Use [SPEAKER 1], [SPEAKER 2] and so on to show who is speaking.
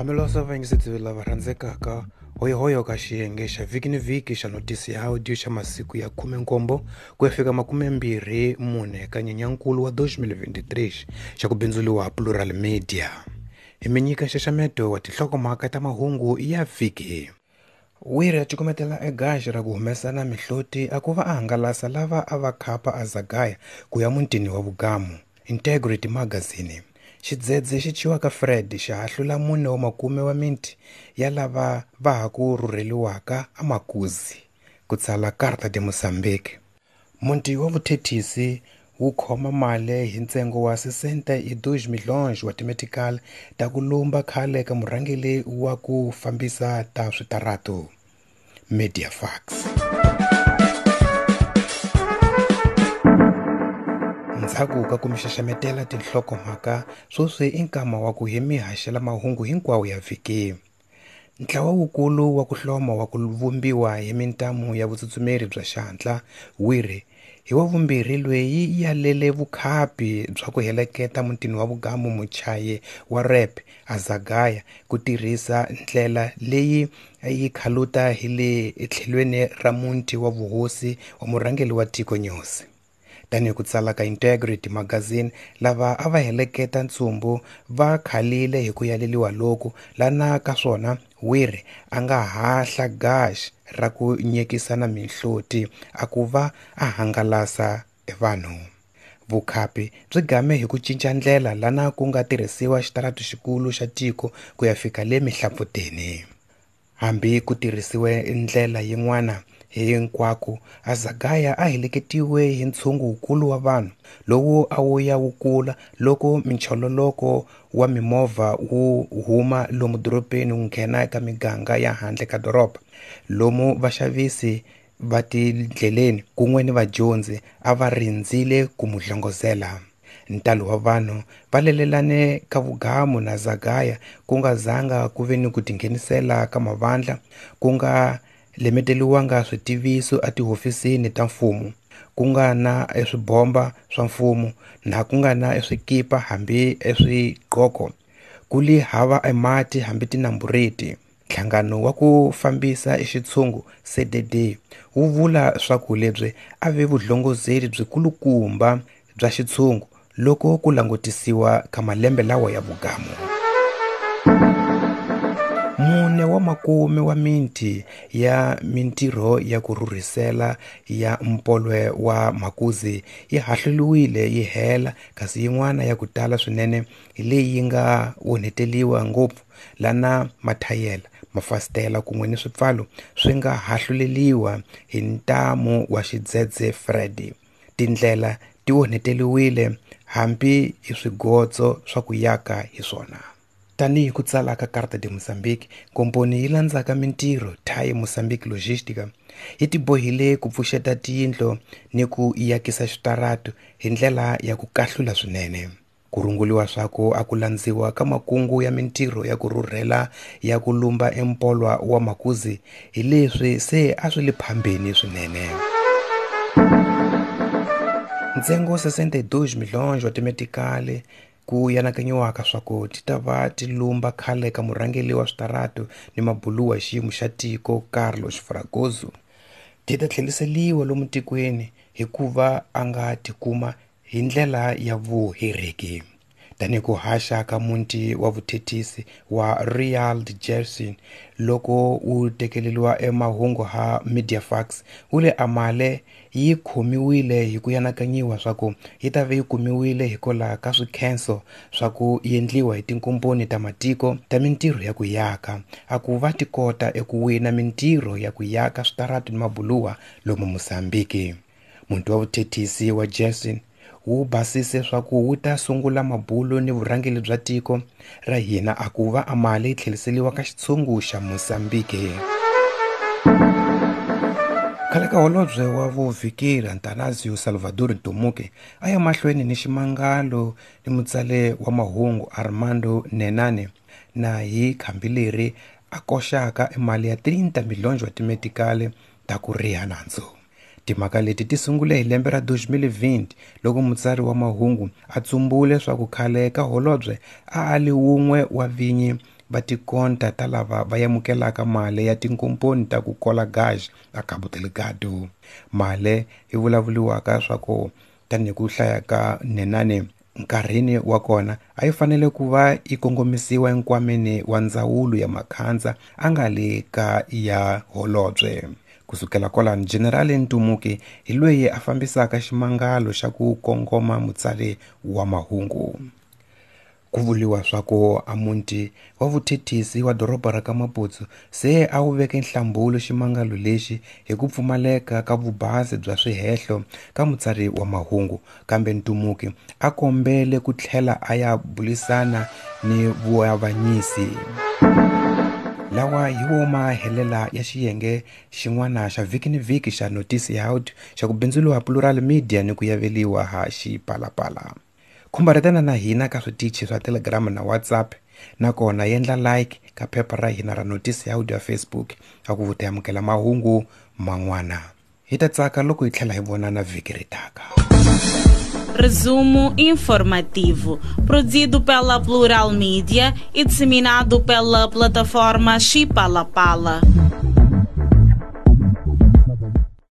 [SPEAKER 1] Hambileswi vayingiseri lava rhandzekaka hoyohoyo ka xiyenge xa vhiki ni vhiki xa notisi ya audio xa masiku ya 17 ku ya fika 24 ka Nyenyankulu wa 2023 xa ku bindzuriwa Plural Media. Hi mi nyika nxaxameto wa tinhlokomhaka ta mahungu ya vhiki. Wiri a cukumetela egaxi ra ku humesa na mihloti a ku va a hangalasa lava a va khapa Azagaya ku ya mutini wa Vugamu. Integrity Magazine. Xidzedze xi thyiwaka Fred xa hahlula 4 wa makume wa miti ya lava va ha ku rhurheliwaka eMakuzi, ku tsala Carta de Moçambique. Muti wa vuthethisi wu khoma mali hi ntsengo wa 62 milhões wa timetical ta ku lumba khale ka murhangeri wa ku fambisa ta switaratu. Mediafax. Ndzhaku ka ku mi xaxametela tinhlokomhaka, sweswi i nkama wa ku hi mi haxela mahungu hinkwawo ya vhiki. Ntlawa wukulu wa ku hloma wa ku vumbiwa hi mintamu ya vutsutsumeri bya xihatla, Wiri, hi wa vumbirhi lweyi yalele vukhapi bya ku heleketa mutini wa Vugamu muchayi wa rap Azagaya ku tirhisa ndlela leyi yi khaluta hi le tlhelweni ra muti wa vuhosi wa murhangeri wa tiko Nyosi. Tanihi ku tsala ka Integrity Magazine, lava a va heleketa ntsumbu va khalile hi ku yaleliwa loku lana ka swona Wiri a nga hahla gaxi ra ku nyekisana mihloti a ku va a hangalasa vanhu. Vukhapi byi game hi ku cinca ndlela lana ku nga tirhisiwa xitaratu xikulu xa tiko ku ya fika le Mihlampfuteni. Hambi ku tirhisiwe ndlela yin'wana hinkwako, Azagaya a heleketiwe hi ntshungu wukulu wa vanhu lowu a wu ya wu kula loko minchololoko wa mimovha wu huma lomu dorobeni wu nghena eka miganga ya handle ka doroba, lomu vaxavisi va tindleleni kun'we ni vadyondzi a va rindzile ku mu hlongozela. Ntalo wa vanhu va lelelane ka Vugamu na Azagaya ku nga zanga ku ve ni ku tinghenisela ka mavandla, ku nga lemeteliwanga switiviso etihofisini ta mfumo, ku nga na eswibomba swa mfumo na ku nga na eswikipa hambi eswiqoko, ku li hava emati hambi tinambureti. Nhlangano wa ku fambisa exitshungu CDD wu vula swa ku lebyi a ve vuhlongozeli byikulukumba bya xitshungu loko ku langutisiwa ka malembe lawa ya Vugamu. 4 wa makume wa miti ya mintirho ya ku rhurhisela ya mpolwe wa Makuzi yi hahluriwile yi hela, kasi yin'wana ya ku tala swinene hi leyi yi nga onheteliwa ngopfu lana mathayela, mafasitela kun'we ni swipfalo swi nga hahluleliwa hi ntamu wa xidzedze Fred. Tindlela ti onheteliwile hambi hi swigotso swa ku yaka hi swona. Tanihi ku tsala ka Carta de Moçambique, komponi yi landzaka mintirho Thai Moçambique Logistica yi tibohile ku pfuxeta tiyindlo ni ku yakisa xitaratu hi ndlela ya ku kahlula swinene. Ku runguriwa swa ku a ku landziwa ka makungu ya mintirho ya ku rhurhela ya ku lumba empolwa wa Makuzi hi leswi se a swi le phambeni swinene. Ntsengo 62 milhões wa timetikali ku yanakanyiwaka swa ku ti ta va ti lumba khale ka murhangeri wa switaratu ni mabuluwa xiyimo xa tiko Carlos Fragoso ti ta tlheriseliwa lomu tikweni hikuva a nga tikuma hi ndlela ya vuhereki. Tanihi ku haxa ka muti wa vuthethisi wa Real de Jersey loko wu tekeleriwa emahungu ha Mediafax, wu le amale yi khomiwile hi ku yanakanyiwa swa ku yi ta ve yi kumiwile hikwalaho ka swikhenso swa ku endliwa hi tinkomponi ta matiko ta mintirho ya ku yaka, a ku va ti kota eku wina mintirho ya ku yaka switaratu ni mabuluwa lomu Mozambique. Muti wa vuthethisi wa Jersey wu basise swa ku wu ta sungula mabulo ni vurhangeri bya tiko ra hina a ku va amali yi tlheriseliwa ka xitshungu xa Mozambique. Khale ka holobye wa vuvhikeri Antanasio Salvador Ntomuke a ya mahlweni ni ximangalo ni mutsale wa mahungu Armando Nenane na hi khambi leri a koxaka emali ya 30 milhões wa timetikali ta ku riha nandzu. Timhaka leti ti sungule hi lembe ra 2020 loko mutsari wa mahungu a tsumbule swa ku khale ka holobye a a li wun'we wa vinyi va tikonta ta lava va amukelaka mali ya tinkomponi ta ku kola gaj a Cabo Delgado. Mali yi vulavuriwaka swa ku tanihi ku hlaya ka Nhenane nkarhini wa kona a yi fanele ku va yi kongomisiwa enkwameni wa ndzawulo ya Makhandza a nga le ka ya holobye. Kusukela kwalano General Ntumuki hi loyi a fambisaka ximangalo xa ku kongoma mutsari wa mahungu. Ku vuriwa swa ku a muti wa vuthethisi wa doroba ra ka Maputo se a wu veke nhlambulo ximangalo lexi hi ku pfumaleka ka vubasi bya swihehlo ka mutsari wa mahungu, kambe Ntumuki a kombele ku tlhela a ya bulisana ni vuavanyisi. Lawa hi wo mahelela ya xiyenge xin'wana xa vhiki ni vhiki xa Notice ya Audio xa ku bindzuriwa Plural Media ni ku yaveliwa ha Xipalapala. Khumbaretana na hina ka switichi swa Telegram na WhatsApp, nakona yendla like ka phepha ra hina ra Notice ya Audio ya Facebook a ku vuta amukela mahungu man'wana. Hi ta tsaka loko hi tlhela hi vonana vhiki ri taka.
[SPEAKER 2] Resumo informativo, produzido pela Plural Media e disseminado pela plataforma Xipalapala.